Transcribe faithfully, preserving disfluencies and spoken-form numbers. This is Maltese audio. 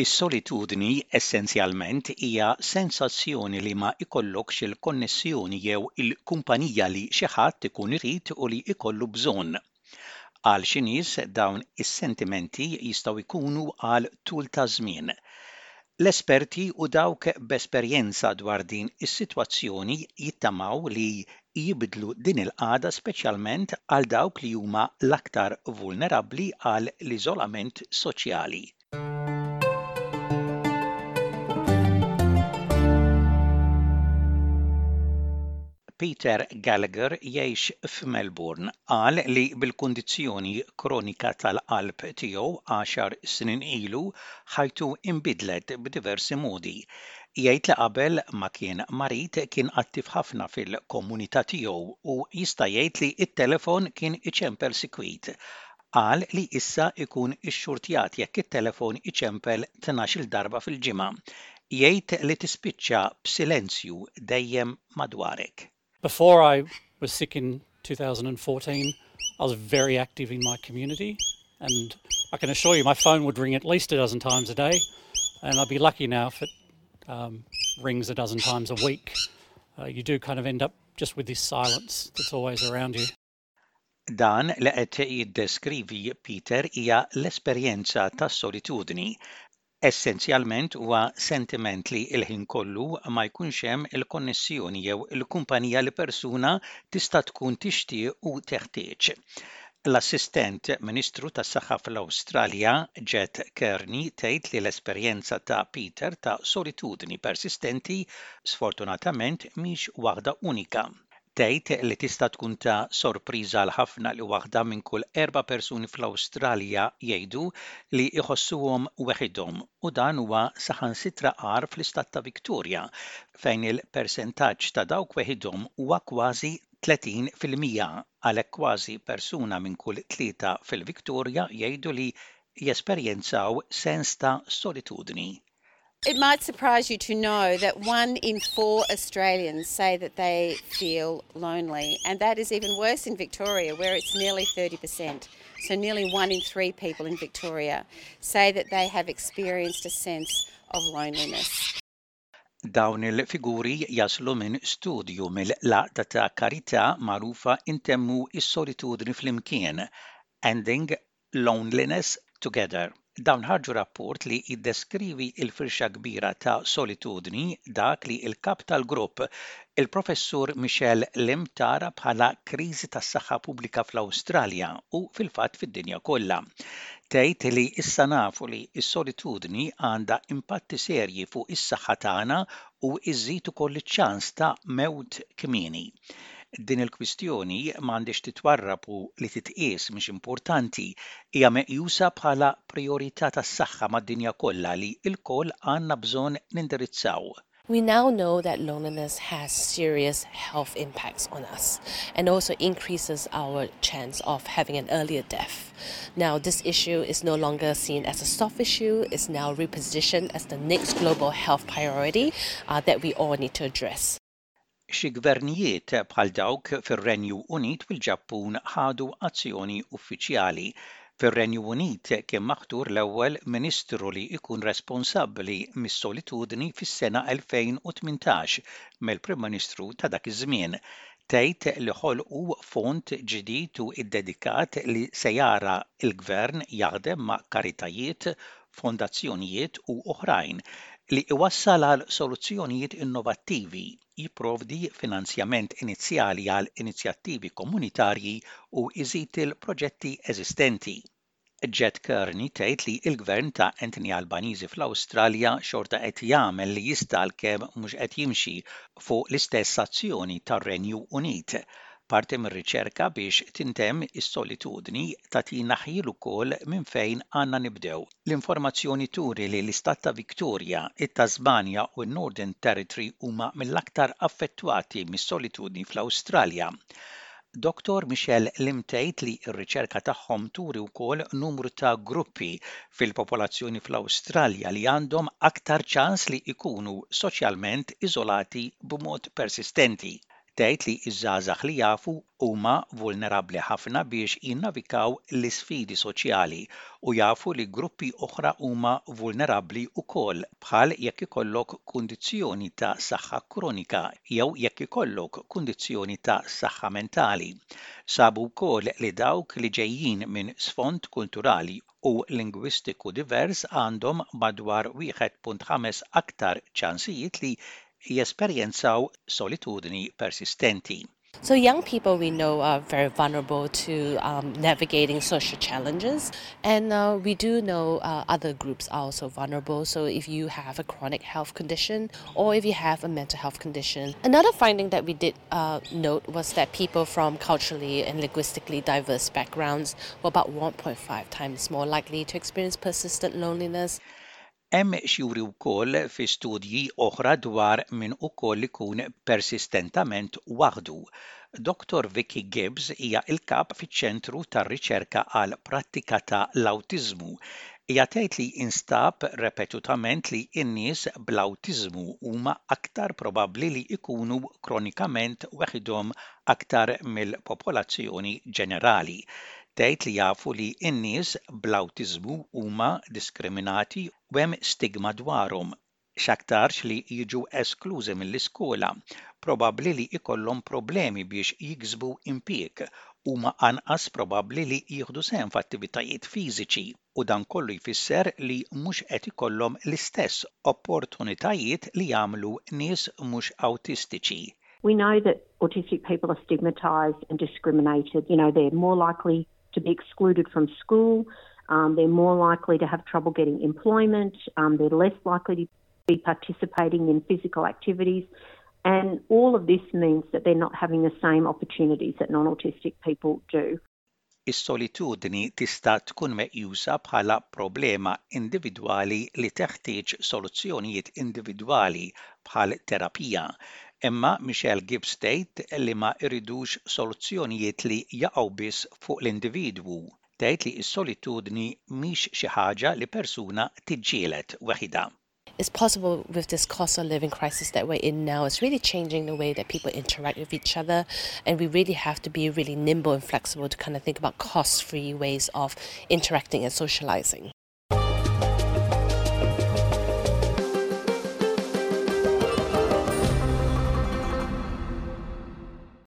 Is-solitudni essenzjalment hija sensazzjoni li ma jkollokx il-konnessjoni jew il-kumpanija li xi ħadd ikun irid u li jkollu bżonn. Għal xi nies dawn is-sentimenti jistgħu jkunu għal tul ta' żmien. L-esperti u dawk b'esperjenza dwar din is-sitwazzjoni jittamaw li jibdlu din il-qagħda, speċjalment għal dawk li huma l-aktar vulnerabbli għal l-iżolament soċjali. Peter Gallagher jgħix f'Melbourne. Qal li bil-kundizzjoni kronika tal-qalb tiegħu għaxar snin ilu ħajtu imbidlet b'diversi modi. Jgħid li qabel ma kien marid kien attiv ħafna fil-komunità tiegħu u jista' jgħid li t-telefon kien iċempel sikwit. Qal li issa ikun ixxurtjat jekk it-telefon iċempel tnax-il darba fil-ġimgħa. Jgħid li tispiċċa b'silenzju dejjem madwarek. Before I was sick in two thousand fourteen, I was very active in my community, and I can assure you my phone would ring at least a dozen times a day, and I'd be lucky now if it um, rings a dozen times a week. Uh, you do kind of end up just with this silence that's always around you. Dan li qed jiddeskrivi Peter hija l-esperjenza tas-solitudni. Essenzjalment huwa sentiment li l-ħin kollu ma jkunx hemm il-konnessjoni jew il-kumpanija li persuna tista' tkun tixtieq u teħtieġ. L-Assistent Ministru tas-Saħħa fl-Awstralja, Ged Kearney, tgħid li l-esperjenza ta' Peter ta' solitudni persistenti sfortunatament mhix waħda unika. Tgħid li tista' tkun ta' sorpriża għal ħafna li waħda minn kull erba' persuni fl-Awstralja jgħidu li jħossuhom weħidhom, u dan huwa saħansitra agħar fl-istat ta' Victoria, fejn il-persentaġġ ta' dawk weħidhom huwa kważi tletin fil-mija. Għalhekk kważi persuna minn kull tlieta fil-Victoria jgħidu li jesperjenzaw sens ta' solitudni. It might surprise you to know that one in four Australians say that they feel lonely, and that is even worse in Victoria, where it's nearly thirty percent. So, nearly one in three people in Victoria say that they have experienced a sense of loneliness. Dawn il-figuri jaslu minn studju mill-Għaqda ta' Karità magħrufa Intemmu is-Solitudni Flimkien, Ending Loneliness Together. Dawn ħarġu rapport li jiddeskrivi il-firxa kbira ta' solitudni, dak li il-kap tal-grupp, il-Professur Michelle Lim, tara bħala kriżi tas-saħħa pubblika fl-Awstralja u fil-fatt fid-dinja kollha. Tgħid li issa nafu li s-solitudni għandha impatti serji fuq is-saħħa tagħna u iżid ukoll iċ-ċans ta' mewt kmieni. Din il-kwistjoni m'għandix titwarrab u li titqies mhix importanti, hija meqjusa bħala priorità tas-saħħa mad-dinja kollha li lkoll għandna bżonn nindirizzaw. We now know that loneliness has serious health impacts on us and also increases our chance of having an earlier death. Now, this issue is no longer seen as a soft issue, it's now repositioned as the next global health priority uh, that we all need to address. Xi gvernijiet bħal dawk fir-Renju Unit u l-Ġappun ħadu azzjoni uffiċjali. Fir-Renju Unit kien maħtur l-ewwel ministru li jkun responsabbli mis-solitudni fis-sena elfejn u tmintax mill-Prim Ministru ta' dak iż-żmien. Tgħid li ħolqu fond ġdid u iddedikat li se jara l-gvern jaħdem ma' karitajiet, fondazzjonijiet u oħrajn li iwassal għal soluzzjonijiet innovattivi, jipprovdi finanzjament inizjali għal inizjattivi komunitarji u iżid il-proġetti eżistenti. Ged Kearney tgħid li l-gvern ta' Anthony Albanese fl-Awstralja xorta qed jagħmel li jista', għalkemm mhux qed jimxi fuq l-istess azzjoni tar-Renju Unit. Parti mir-riċerka biex tintemm is-solitudni tagħtina ħjiel ukoll minn fejn għandna nibdew. L-informazzjoni turi li l-istat ta' Victoria, it-Tasmania u n-Northern Territory huma mill-aktar affettwati mis-solitudni fl-Awstralja. Doktor Michelle Lim tgħid li r-riċerka tagħhom turi wkoll numru ta' gruppi fil-popolazzjoni fl-Awstralja li għandhom aktar ċans li jkunu soċjalment iżolati b'mod persistenti. Tgħid li ż-żgħażagħ li jafu huma vulnerabbli ħafna biex jinnavigaw l-isfidi soċjali u jafu li gruppi oħra huma vulnerabbli wkoll, bħal jekk ikollok kundizzjoni ta' saħħa kronika jew jekk ikollok kundizzjoni ta' saħħa mentali. Sabu wkoll li dawk li ġejjin minn sfond kulturali u lingwistiku divers għandhom madwar wieħed punt ħames aktar ċansijiet li jesperjenzaw solitudni persistenti. So young people, we know, are very vulnerable to um, navigating social challenges, and uh, we do know uh, other groups are also vulnerable. So if you have a chronic health condition or if you have a mental health condition. Another finding that we did uh, note was that people from culturally and linguistically diverse backgrounds were about one point five times more likely to experience persistent loneliness. Hemm x'juri wkoll fi studji oħra dwar min ukoll ikun persistentament waħdu. Doktor Vicky Gibbs hija il-kap fiċ-Ċentru tar-Riċerka għal Prattika ta' l-Awtiżmu. Hija tgħid li instab ripetutament li n-nies bl-awtiżmu huma aktar probabbli li jkunu kronikament weħidhom aktar mill-popolazzjoni ġenerali. Tgħid li jafu li n-nies bl-awtiżmu huma diskriminati u hemm stigma dwarhom, x'aktarx li jiġu esklużi mill-iskola, probabbli li jkollhom problemi biex jiksbu impjieg, huma anqas probabbli li jieħdu sehem f'attivitajiet fiżiċi, u dan kollu jfisser li mhux qed ikollhom l-istess opportunitajiet li jagħmlu nies mhux awtistiċi. We know that autistic people are stigmatized and discriminated. You know, they're more likely to be excluded from school. Um, they're more likely to have trouble getting employment. Um, they're less likely to be participating in physical activities. And all of this means that they're not having the same opportunities that non autistic people do. Is-solitudni tista' tkun meqjusa bħala problema individwali li teħtieġ soluzzjonijiet individwali bħal terapija. Imma Michelle Gibbs tgħid li ma jridux soluzzjonijiet li jaqgħu biss fuq l-individwu. Tgħid li s-solitudni mhix xi ħaġa li persuna tiġġieled weħidha. It's possible with this cost of living crisis that we're in now, it's really changing the way that people interact with each other. And we really have to be really nimble and flexible to kind of think about cost free ways of interacting and socializing.